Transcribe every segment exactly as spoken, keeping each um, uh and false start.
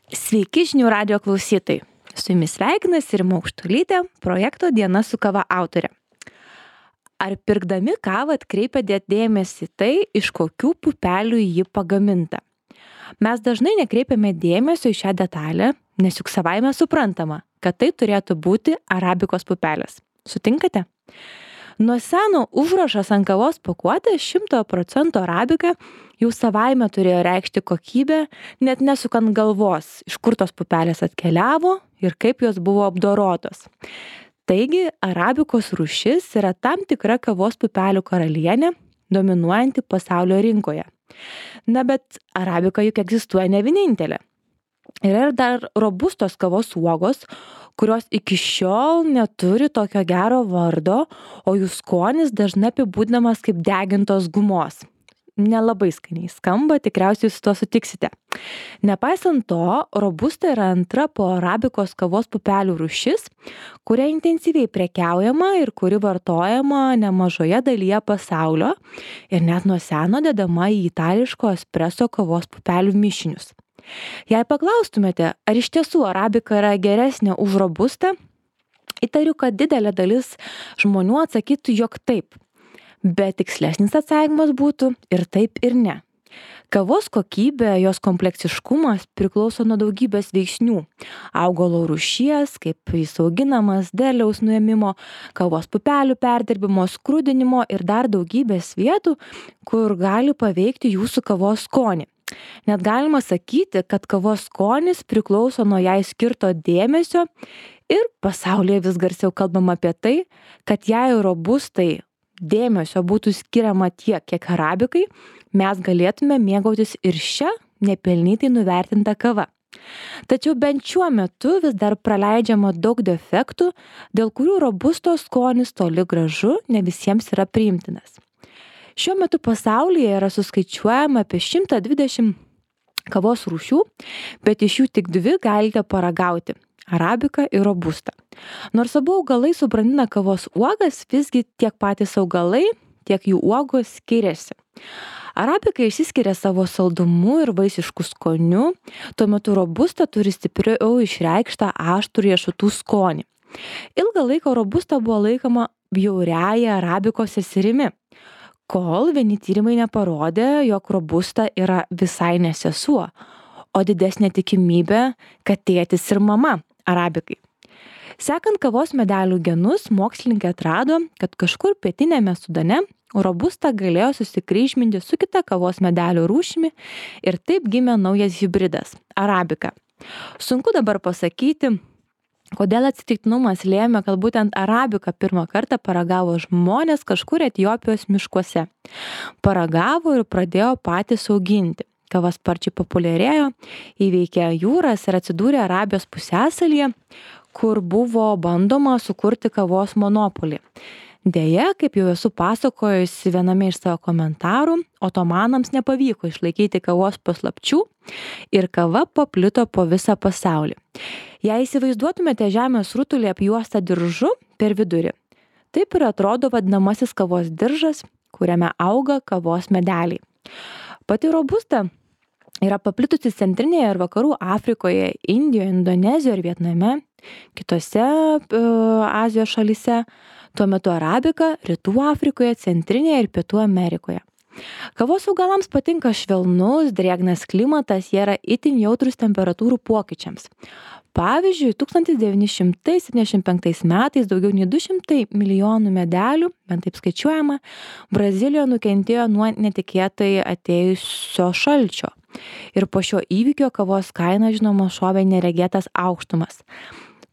Sveiki žinių radijo klausytojai. Su jumis sveikinasi Rima Aukštuolytė, projekto Diena su kava autorė. Ar pirkdami kavą atkreipiate dėmesį į tai, iš kokių pupelių ji pagaminta? Mes dažnai nekreipiame dėmesio į šią detalę, nes juk savaime suprantama, kad tai turėtų būti arabikos pupelės. Sutinkate? Nuo seno užrašas ant kavos pakuotės šimto procentų arabika jau savaime turėjo reikšti kokybę, net nesukant galvos, iš kur tos pupelės atkeliavo ir kaip jos buvo apdorotos. Taigi, arabikos rūšis yra tam tikra kavos pupelių karalienė, dominuojanti pasaulio rinkoje. Na, bet arabika juk egzistuoja ne vienintelė. Yra ir dar robustos kavos uogos, kurios iki šiol neturi tokio gero vardo, o jų skonis dažnai apibūdinamas kaip degintos gumos. Nelabai skaniai skamba, tikriausiai su to sutiksite. Nepaisant to, robusta yra antra po arabikos kavos pupelių rūšis, kuria intensyviai prekiaujama ir kuri vartojama nemažoje dalyje pasaulio ir net nuo seno dedama į itališko espreso kavos pupelių mišinius. Jei paklaustumėte, ar iš tiesų arabika yra geresnė už robustą, įtariu, kad didelė dalis žmonių atsakytų, jog taip. Bet tikslesnis atsakymas būtų ir taip ir ne. Kavos kokybė, jos kompleksiškumas priklauso nuo daugybės veiksnių. Augalo rūšies, kaip jis auginamas, derliaus nuėmimo, kavos pupelių perdirbimo, skrudinimo ir dar daugybės vietų, kur gali paveikti jūsų kavos skonį. Net galima sakyti, kad kavos skonis priklauso nuo jai skirto dėmesio ir pasaulyje vis garsiau kalbama apie tai, kad jei robustai dėmesio būtų skiriama tiek, kiek arabikai, mes galėtume mėgautis ir šią nepelnytai nuvertintą kavą. Tačiau bent šiuo metu vis dar praleidžiama daug defektų, dėl kurių robustos skonis toli gražu ne visiems yra priimtinas. Šiuo metu pasaulyje yra suskaičiuojama apie šimtą dvidešimt kavos rūšių, bet iš jų tik dvi galite paragauti – arabika ir robusta. Nors abu augalai subrandina kavos uogas, visgi tiek patys augalai, tiek jų uogos skiriasi. Arabika išsiskiria savo saldumu ir vaisišku skoniu, tuo metu robusta turi stipriau išreikštą aštrų riešutų skonį. Ilgą laiką robusta buvo laikoma bjauriąja arabikos seserimi, kol vieni tyrimai neparodė, jog robusta yra visai ne sesuo, o didesnė tikimybė, kad tėtis ir mama arabikai. Sekant kavos medelių genus, mokslininkai atrado, kad kažkur pietiniame Sudane robusta galėjo susikryžminti su kita kavos medelių rūšimi ir taip gimė naujas hibridas – arabika. Sunku dabar pasakyti, kodėl atsitiktinumas lėmė, kad būtent arabiką pirmą kartą paragavo žmonės kažkur Etiopijos miškuose. Paragavo ir pradėjo patys auginti. Kava sparčiai populiarėjo, įveikė jūras ir atsidūrė Arabijos pusiasalyje, kur buvo bandoma sukurti kavos monopolį. Deja, kaip jau esu pasakojusi viename iš savo komentarų, otomanams nepavyko išlaikyti kavos paslapčių ir kava paplito po visą pasaulį. Jei įsivaizduotumėte žemės rutulį apjuostą diržu per vidurį, taip ir atrodo vadinamasis kavos diržas, kuriame auga kavos medeliai. Pati robusta yra paplitusi centrinėje ir vakarų Afrikoje, Indijoje, Indonezijoje ir Vietname, kitose uh, Azijos šalyse, tuo metu arabika Rytų Afrikoje, Centrinėje ir Pietų Amerikoje. Kavos augalams patinka švelnus, drėgnas klimatas, jie yra itin jautrūs temperatūrų pokyčiams. Pavyzdžiui, tūkstantis devyni šimtai septyniasdešimt penktais metais daugiau nei du šimtai milijonų medelių, bent taip skaičiuojama, Brazilijoje nukentėjo nuo netikėtai atėjusio šalčio. Ir po šio įvykio kavos kaina, žinoma, šovė neregėtas aukštumas.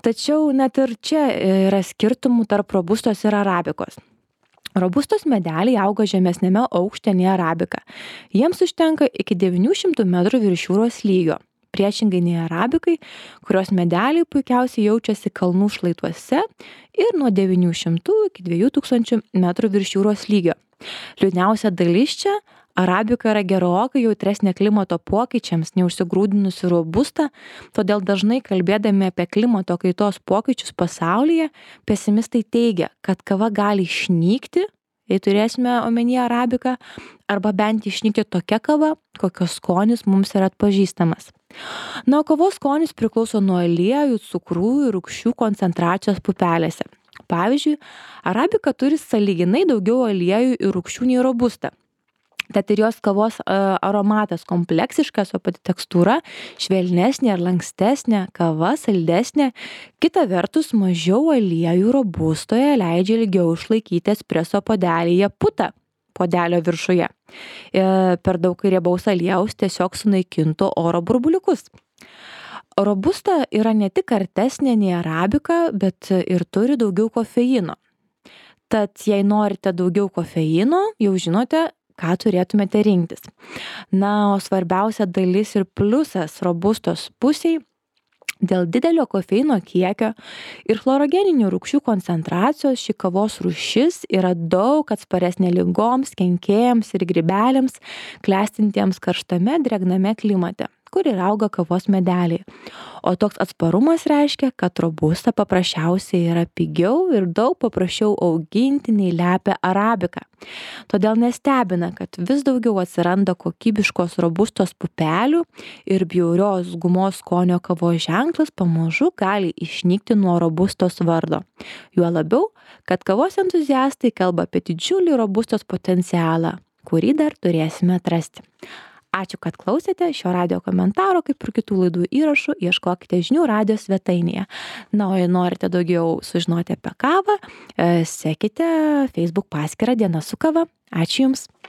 Tačiau net ir čia yra skirtumų tarp robustos ir arabikos. Robustos medeliai auga žemesnėme aukšte nei arabika. Jiems užtenka iki devynių šimtų metrų virš jūros lygio. Priešingai nei arabikai, kurios medeliai puikiausiai jaučiasi kalnų šlaituose ir nuo devynių šimtų iki dviejų tūkstančių metrų virš jūros lygio. Liūdniausia dalis čia – arabika yra gerokai jautresnė klimato pokyčiams neužsigrūdinusi robusta, todėl dažnai kalbėdami apie klimato kaitos pokyčius pasaulyje, pesimistai teigia, kad kava gali išnykti, jei turėsime omenyje arabiką, arba bent išnykti tokia kava, kokios skonis mums yra atpažįstamas. Na, o kavos skonis priklauso nuo aliejų, cukrų ir rūgščių koncentracijos pupelėse. Pavyzdžiui, arabika turi sąlyginai daugiau aliejų ir rūgščių nei robusta. Tad ir jos kavos aromatas kompleksiškas, o pati tekstūra švelnesnė ar lankstesnė, kava saldesnė. Kita vertus, mažiau aliejų robustoje leidžia ilgiau išlaikyti espreso puodelyje putą puodelio viršuje. Per daug riebaus aliejaus tiesiog sunaikintų oro burbuliukus. Robusta yra ne tik kartesnė nei arabika, bet ir turi daugiau kofeino. Tad jei norite daugiau kofeino, jau žinote, ką turėtumėte rinktis. Na, o svarbiausia dalis ir pliusas robustos pusiai dėl didelio kofeino kiekio ir chlorogeninių rūgščių koncentracijos ši kavos rūšis yra daug atsparesnė ligoms, kenkėjams ir grybeliams, klestintiems karštame drėgname klimate, kur ir auga kavos medeliai. O toks atsparumas reiškia, kad robusta paprasčiausiai yra pigiau ir daug paprasčiau auginti nei lepia arabika. Todėl nestebina, kad vis daugiau atsiranda kokybiškos robustos pupelių ir bjaurios gumos skonio kavos ženklas pamažu gali išnykti nuo robustos vardo. Juo labiau, kad kavos entuziastai kalba apie didžiulį robustos potencialą, kurį dar turėsime atrasti. Ačiū, kad klausėte šio radijo komentaro, kaip ir kitų laidų įrašų, ieškokite žinių radijo svetainėje. Na, o jei norite daugiau sužinoti apie kavą, sekite Facebook paskyrą Diena su kava. Ačiū Jums.